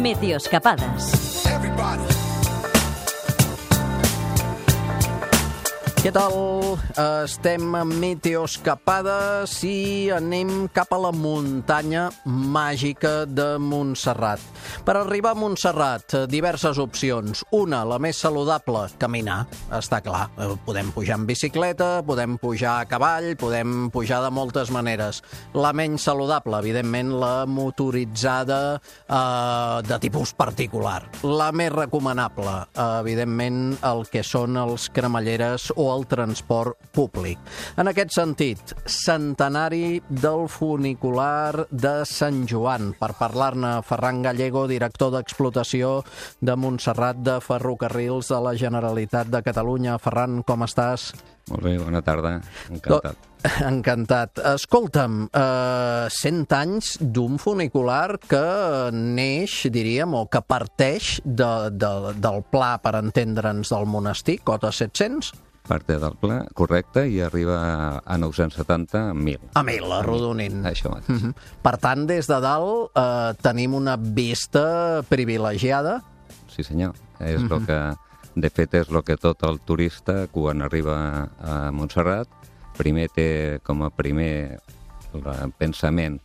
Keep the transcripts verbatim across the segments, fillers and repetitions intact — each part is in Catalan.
Meteoscapades. Què tal? Estem a Meteoscapades i anem cap a la muntanya màgica de Montserrat. Per arribar a Montserrat, diverses opcions. Una, la més saludable, caminar, està clar. Podem pujar en bicicleta, podem pujar a cavall, podem pujar de moltes maneres. La menys saludable, evidentment, la motoritzada eh, de tipus particular. La més recomanable, eh, evidentment, el que són els cremalleres o el transport públic. En aquest sentit, centenari del funicular de Sant Joan. Per parlar-ne, Ferran Gallego, director d'explotació de Montserrat de Ferrocarrils de la Generalitat de Catalunya. Ferran, com estàs? Molt bé, bona tarda. Encantat. Encantat. Escolta'm, eh, cent anys d'un funicular que neix, diríem, o que parteix de, de, del pla, per entendre'ns, del monestir, cota set-cents? Parte del pla, correcte, i arriba a nou-cents setanta, a mil. A mil, arrodonint. Això mateix. Uh-huh. Per tant, des de dalt eh, tenim una vista privilegiada. Sí, senyor. És Uh-huh. lo que, de fet, és el que tot el turista, quan arriba a Montserrat, primer té com a primer el pensament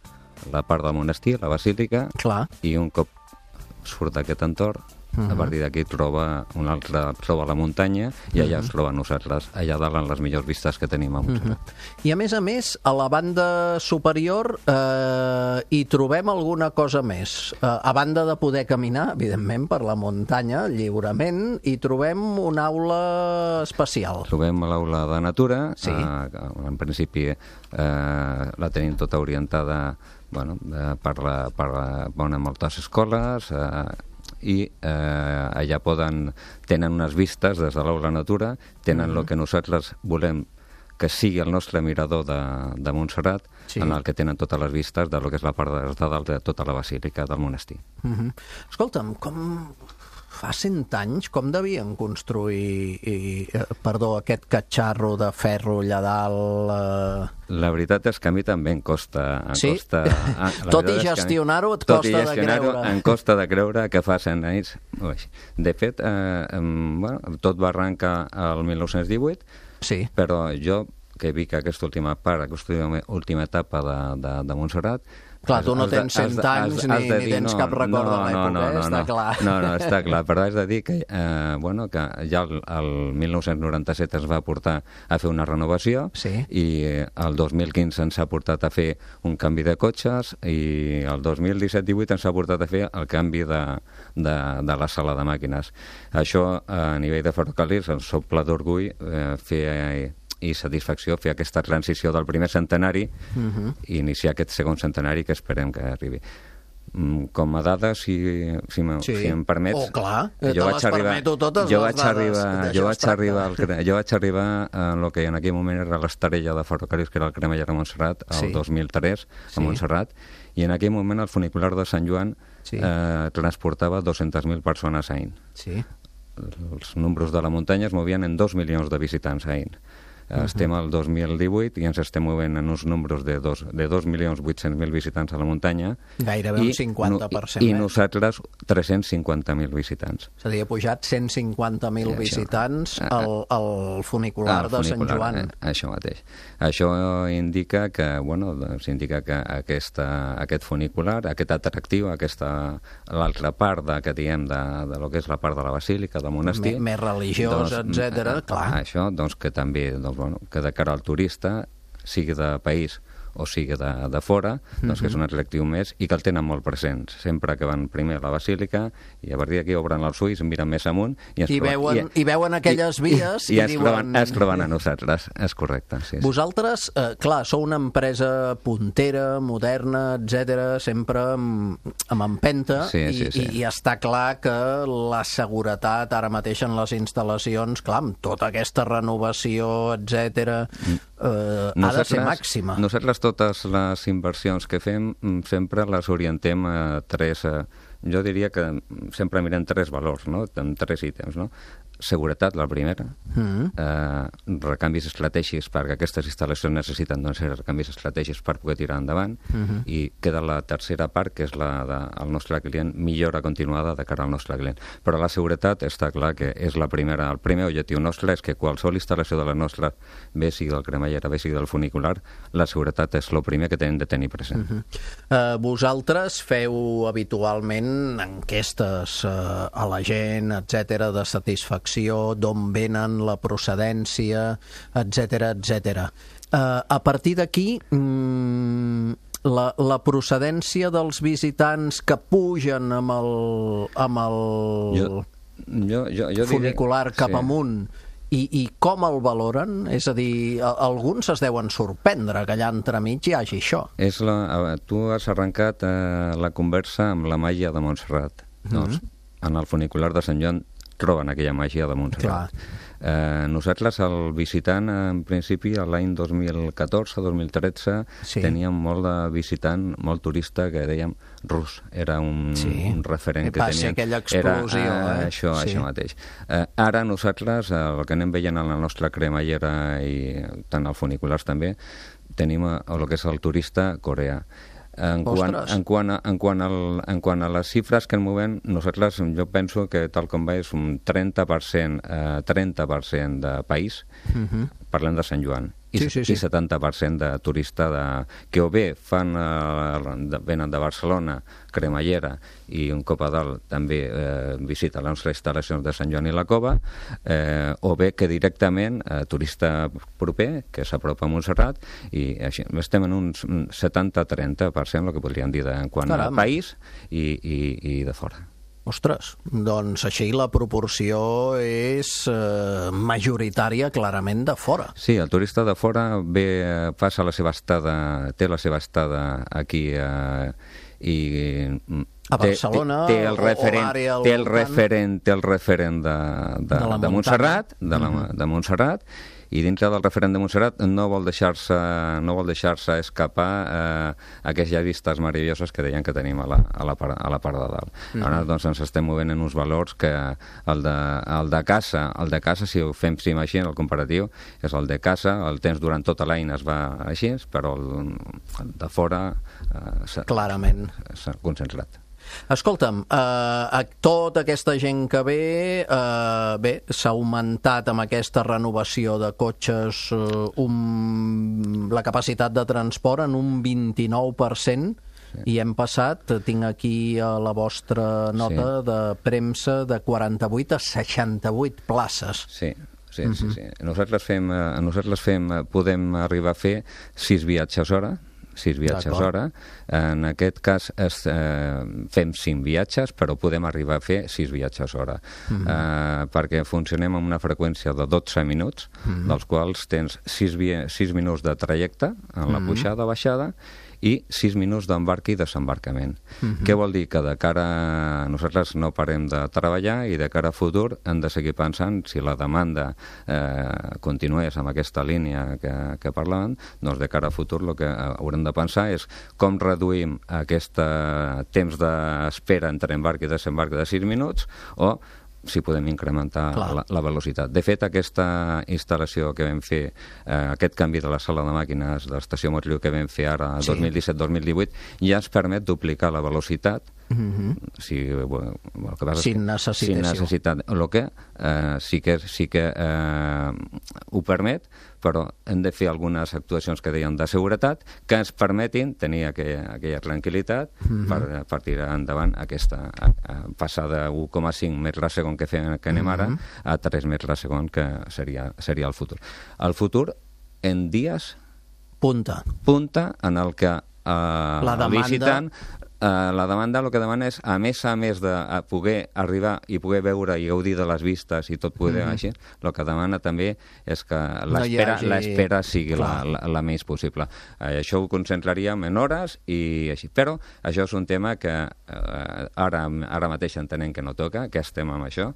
la part del monestir, la basílica, Clar. i un cop surt d'aquest entorn, Uh-huh. a partir d'aquí troba un altre, troba la muntanya i allà es troba nosaltres, allà dalt en les millors vistes que tenim a Montserrat. Uh-huh. I a més a més, a la banda superior eh, hi trobem alguna cosa més. Eh, a banda de poder caminar, evidentment, per la muntanya, lliurement, hi trobem una aula especial. Trobem l'aula de natura, Sí. eh, en principi eh, la tenim tota orientada bueno, eh, per, la, per la, bueno, moltes escoles, eh, i eh, allà poden, tenen unes vistes des de l'aula natura, tenen el uh-huh. que nosaltres volem que sigui el nostre mirador de, de Montserrat, Sí. en el que tenen totes les vistes de lo que és la part de, de dalt de tota la basílica del monestir. Uh-huh. Escolta'm, com fa cent anys, com devien construir i, eh, perdó, aquest catxarro de ferro allà dalt? Eh... La veritat és que a mi també em costa... Em Sí? costa ah, Tot i gestionar-ho et tot i costa de gestionar-ho creure. em costa de creure que fa cent anys... Ui. De fet, eh, em, bueno, tot va arrencar al mil nou-cents divuit, Sí. però jo, que vic aquesta última part, aquesta última, última etapa de, de, de Montserrat... Clar, tu no has de- tens cent has de- anys has- ni, has de ni dir, tens no, cap record no, de l'època, no, no, eh? no, Està no. clar. No, no, està clar, però has de dir que, eh, bueno, que ja el, el mil nou-cents noranta-set es va portar a fer una renovació Sí. i eh, el dos mil quinze ens ha portat a fer un canvi de cotxes i el dos mil disset divuit ens ha portat a fer el canvi de, de, de la sala de màquines. Això, a nivell de ferrocarrils, ens omple d'orgull eh, fer... Eh, i satisfacció fer aquesta transició del primer centenari Uh-huh. i iniciar aquest segon centenari que esperem que arribi. Mm, Com a dada, si, si, me, Sí. si em permets... Oh, clar, te jo les vaig arribar, permeto totes jo les vaig dades, arribar, d'això jo es vaig tracta. arribar, al, cre- jo vaig arribar a el que en aquell moment era l'estarella de ferrocarrils, que era el Cremeller de Montserrat, el Sí. dos mil tres, Sí. a Montserrat, i en aquell moment el funicular de Sant Joan Sí. eh, transportava dues-centes mil persones a any. Sí. Els números de la muntanya es movien en dos milions de visitants a any. Uh-huh. Estem al dos mil divuit i ens estem movent en uns números de dos, de dos milions vuit-cents mil visitants a la muntanya. Gairebé un cinquanta per cent I, i més. nosaltres tres-cents cinquanta mil visitants. És a dir, ha pujat cent cinquanta mil Sí, això. visitants Ah, al, al funicular Ah, de Sant funicular, Joan. eh, això mateix. Això indica que, bueno, doncs indica que aquesta, aquest funicular, aquest atractiu, aquesta, l'altra part de, que diem de, de lo que és la part de la basílica, del monestir... Més, més religiós, doncs, etcètera, eh, clar. Això, doncs, que també, doncs, bueno, que de cara al turista, sigui de país o sigui de, de fora, doncs que és un atractiu més i que el tenen molt presents. Sempre que van primer a la basílica i a partir d'aquí obren els ulls, miren més amunt i, ens I troben- veuen, i, veuen aquelles vies i, i, i es, diuen... troben, es troben a nosaltres, és correcte. Sí, sí. Vosaltres, eh, clar, sou una empresa puntera, moderna, etcètera, sempre amb, amb empenta, Sí, sí, i, sí. i, i està clar que la seguretat ara mateix en les instal·lacions, clar, amb tota aquesta renovació, etcètera, eh, ha de ser màxima. Nosaltres totes les inversions que fem mm, sempre les orientem a tres... Eh, jo diria que sempre mirem tres valors, no? En tres ítems, no? seguretat, la primera, mm. eh, recanvis estratègics, perquè aquestes instal·lacions necessiten doncs, recanvis estratègics per poder tirar endavant, mm-hmm. i queda la tercera part, que és la del nostre client, millora continuada de cara al nostre client. Però la seguretat està clar que és la primera, el primer objectiu nostre és que qualsevol instal·lació de la nostra, bé sigui del cremallera, bé sigui del funicular, la seguretat és el primer que tenen de tenir present. Mm-hmm. uh, vosaltres feu habitualment enquestes uh, a la gent, etcètera, de satisfacció, d'on venen, la procedència, etcètera, etcètera. Uh, a partir d'aquí, mm, la, la procedència dels visitants que pugen amb el, amb el jo, jo, jo, jo funicular diré, cap sí. amunt, i, i com el valoren? És a dir, alguns es deuen sorprendre que allà entremig hi hagi això. És la, tu has arrencat eh, la conversa amb la màgia de Montserrat. Mm-hmm. Doncs, en el funicular de Sant Joan troben aquella màgia de Montserrat. Eh, nosaltres, el visitant, en principi, l'any dos mil catorze dos mil tretze, sí. teníem molt de visitant, molt turista, que dèiem rus. Era un, sí. un referent que teníem. Aquella explosió, era, eh? Això, sí. això mateix. Eh, ara nosaltres, el que anem veient en la nostra cremallera i tant als funiculars també, tenim el que és el turista coreà. En quant, en, quant a, en, quant al, en quant a les xifres que ens movem, nosaltres, jo penso que tal com va és un trenta per cent, eh, trenta per cent de país, uh-huh. parlem de Sant Joan, i, sí, sí, sí. i setanta per cent de turista de, que o bé fan, eh, de, venen de Barcelona, cremallera, i un cop a dalt també eh, visita les nostres instal·lacions de Sant Joan i la Cova, eh, o bé que directament eh, turista proper, que s'apropa a Montserrat, i així, estem en un setanta trenta per cent, el que podríem dir, de, en quant Caram. a país i, i, i de fora. Ostres, doncs així la proporció és eh, majoritària clarament de fora. Sí, el turista de fora ve, passa la seva estada, té la seva estada aquí eh, i a Barcelona té, té el referent, o l'àrea té el referent, té el referent de, de, de, de Montserrat, de, la, mm-hmm. de Montserrat, i dintre del referent de Montserrat no vol deixar-se no vol deixar-se escapar eh, aquelles vistes meravelloses que deien que tenim a la, a la, part, a la part de dalt. Mm-hmm. Ara doncs ens estem movent en uns valors que el de, el de casa, el de casa, si ho fem si així, el comparatiu, és el de casa, el temps durant tota l'any es va així, però el, el de fora eh, s'ha, clarament s'ha concentrat. Escolta'm, eh, tota aquesta gent que ve, eh, bé, s'ha augmentat amb aquesta renovació de cotxes eh, un, la capacitat de transport en un vint-i-nou per cent, sí. i hem passat, tinc aquí a la vostra nota sí. de premsa, de quaranta-vuit a seixanta-vuit places. Sí. Sí, uh-huh. sí, sí. Nosaltres fem, nosaltres fem, podem arribar a fer sis viatges hora, sis viatges hora. En aquest cas es, eh, fem cinc viatges, però podem arribar a fer sis viatges hora. Mm-hmm. eh, perquè funcionem amb una freqüència de dotze minuts, mm-hmm. dels quals tens sis, sis minuts de trajecte en la mm-hmm. pujada, baixada, i sis minuts d'embarc i desembarcament. Mm-hmm. Què vol dir? Que de cara a nosaltres no parem de treballar i de cara a futur hem de seguir pensant si la demanda eh, continués amb aquesta línia que, que parlàvem, doncs de cara a futur el que haurem de pensar és com reduïm aquest temps d'espera entre embarc i desembarc de sis minuts o si podem incrementar la, la velocitat. De fet, aquesta instal·lació que vam fer, eh, aquest canvi de la sala de màquines de l'estació Montllú que vam fer ara, sí. dos mil disset dos mil divuit, ja ens permet duplicar la velocitat mm-hmm. si, bueno, el que passa sin necessitació. Sin necessitat. El que eh, sí que, sí que eh, ho permet, però hem de fer algunes actuacions que deien de seguretat que ens permetin tenir aquella, aquella tranquil·litat mm-hmm. per, per tirar endavant aquesta a, a passar de u coma cinc metres a segon que, fem, que anem ara mm-hmm. a tres metres a segon que seria, seria el futur. El futur en dies punta, punta en el que eh, la demanda... el visitant Uh, la demanda el que demana és, a més a més de a poder arribar i poder veure i gaudir de les vistes i tot poder mm. així, el que demana també és que l'espera no hagi... l'espera sigui la, la, la més possible. Uh, això ho concentraríem en hores i així, però això és un tema que uh, ara, ara mateix entenem que no toca, que estem amb això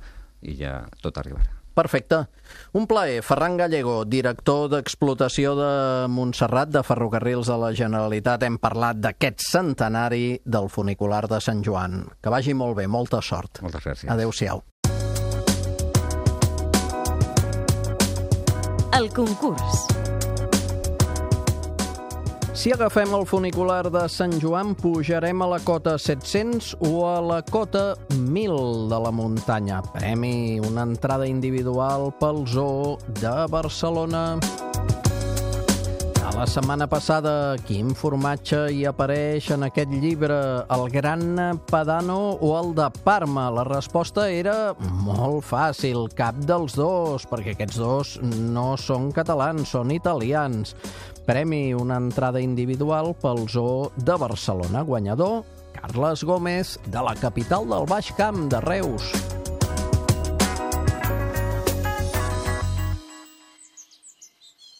i ja tot arribarà. Perfecte. Un plaer. Ferran Gallego, director d'explotació de Montserrat, de Ferrocarrils de la Generalitat. Hem parlat d'aquest centenari del funicular de Sant Joan. Que vagi molt bé, molta sort. Moltes gràcies. Adéu-siau. el concurs. Si agafem el funicular de Sant Joan, pujarem a la cota set-cents o a la cota mil de la muntanya. Premi, una entrada individual pel Zoo de Barcelona. La setmana passada, quin formatge hi apareix en aquest llibre? El Gran Padano o el de Parma? La resposta era molt fàcil, cap dels dos, perquè aquests dos no són catalans, són italians. Premi, una entrada individual pel Zoo de Barcelona. Guanyador, Carles Gómez, de la capital del Baix Camp, de Reus.